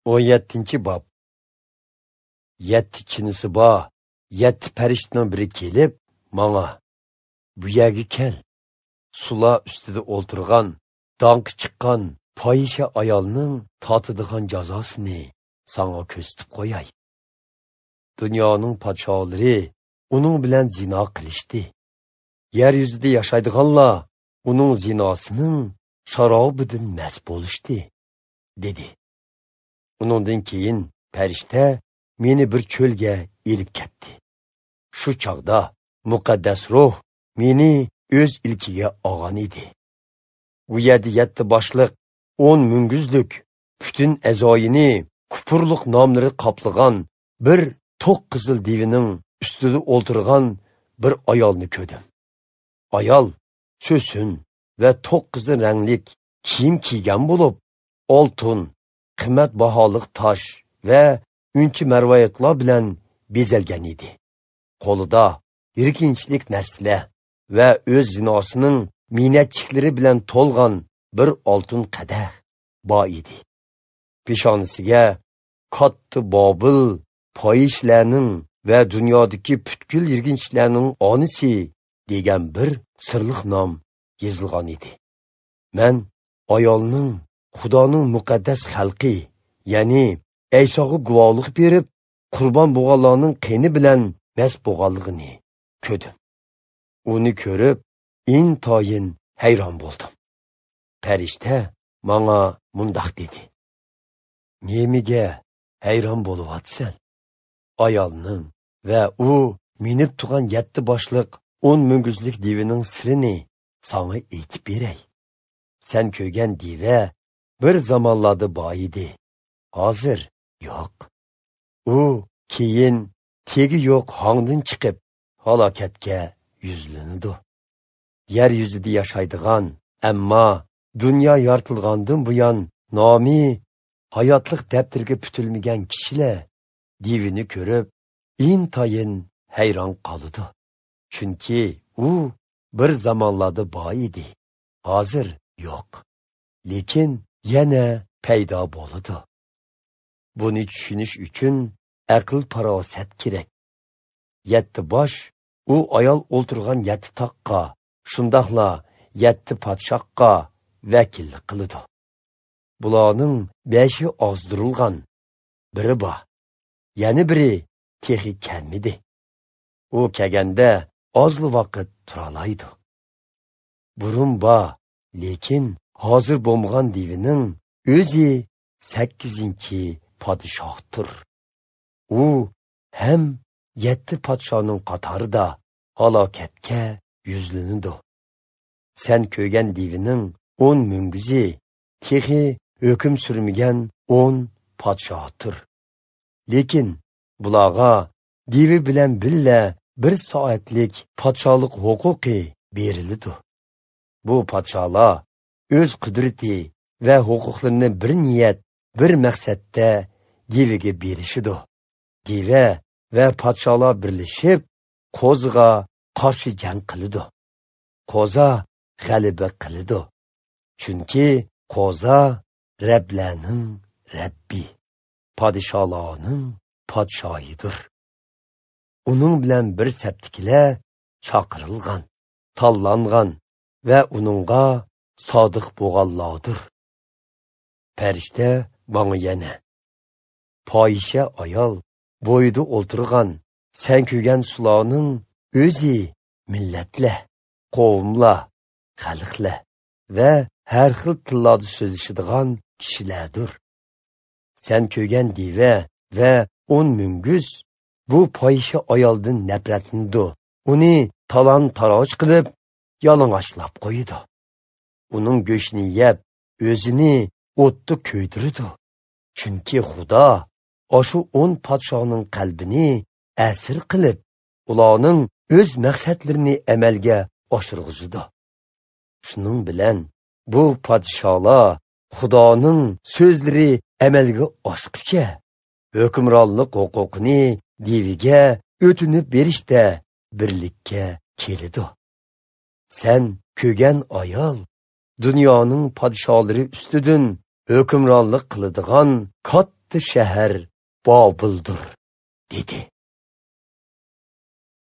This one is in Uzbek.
17-bob. 7 chinisi bor, 7 farishtaning biri kelib, manga: "Bu yerga kel. Sula ustida o'ltirgan, danqi chiqqan fohisha ayolning totadigan jazosini sanga ko'rsatib qo'yay. Dunyoning podsholari uning bilan zino qilishdi. Yer yuzida yashaydiganlar uning zinosining sharobidan mast bo'lishdi", dedi. Uningdan keyin farishta meni bir cho'lga elib ketdi. Shu chog'da muqaddas ruh meni o'z ilkiga olgan edi. U yerda 7 boshliq, 10 munguzlik, butun a'zoyini kupurliq nomlari qoplagan bir to'q qizil devining ustida o'ltirgan bir ayolni ko'rdim. Ayol so'sin va to'q qizil ranglik kiyim kiygan bo'lib, oltin, qimmat baholiq tosh va unchi marvaritlar bilan bezalgan edi. Qo'lida yirkinchlik narsalar va o'z zinosining minnatchiklari bilan to'lgan bir oltin qadah bor edi. Peshonasiga katta Bobil foyishlarning va dunyodagi butkul yirginchilarning onisi degan bir sirliq nom yozilgan edi. Men ayolning Xudoning muqaddas xalqi, ya'ni Aysoga guvohlik berib, qurbon bo'lganlarning qeni bilan mast bo'lganligini ko'rdim. Uni ko'rib, intayin hayron bo'ldim. Farishta manga mundoq dedi: "Nemaga hayron bo'lyapsan? Ayolning va u minib turgan 7 boshliq, 10 munguzlik devining sirini sanga aytib beray. Sen ko'rgan deva bir zamonlarda bor edi, hozir yo'q. U keyin tegi yo'q hongdan chiqib halokatga yuzlanadi. Yer yuzida yashaydigan, ammo dunyo yoritilgandan buyon nomi hayotliq daftarga putilmagan kishilar devini ko'rib intayin hayron qoladi. Chunki u bir zamonlarda bor edi, hozir yo'q, lekin yana paydo bo'ladi. Buni tushunish uchun aql farosat kerak. 7 bosh u ayol o'ltirgan 7 toqqa, shundoqla 7 podshohga vakillik qiladi. Bularning 5i ozdirilgan, biri bor, yana biri texi kelmidi. U kelganda ozli vaqt turalaydi. Burun bor, lekin hozir bo'lmagan devining o'zi 8-podshohdir. U ham 7 podshoning qatorida halokatga yuzlanadi. Sen ko'rgan devining 10 munguzi texi hukm surmagan 10 podshohdir. Lekin bularga devi bilan billa bir soatlik podshohlik huquqi beriladi. Bu podsholar o'z qudrati va huquqlarini bir niyat, bir maqsadda deviga berishidi. Deva va podsholar birlashib qo'ziga qarshi jang qiladi. Qo'za g'alaba qiladi. Chunki qo'za Rablarning Rabbi, podsholarning podshoyidir. Uning bilan bir saptikilar chaqirilgan, tanlangan va uningga sodiq bo'lganlardir. Farishta manga yana: "Fohisha ayol bo'yida o'ltirgan, sen ko'rgan sularning o'zi millatlar, qavmlar, xalqlar va har xil tillarda so'zlashadigan kishilardir. Sen ko'rgan deva va 10 munguz bu fohisha ayoldan nafratlanadi. Uni talon-taroj qilib, yalang'ochlab qo'yadi. Uning go'shtini yeb, o'zini o'tda kuydiradi. Chunki Xudo oshu 10 podshoning qalbini asir qilib, ularning o'z maqsadlarini amalga oshirg'izadi. Shuning bilan bu podsholar Xudoning so'zlari amalga oshguncha hukmronlik huquqini deviga o'tinib berishda birlikka keladi. Sen ko'rgan ayol dunyoning podsholari ustidan hukmronlik qiladigan katta Katta shahar Bobildir, dedi.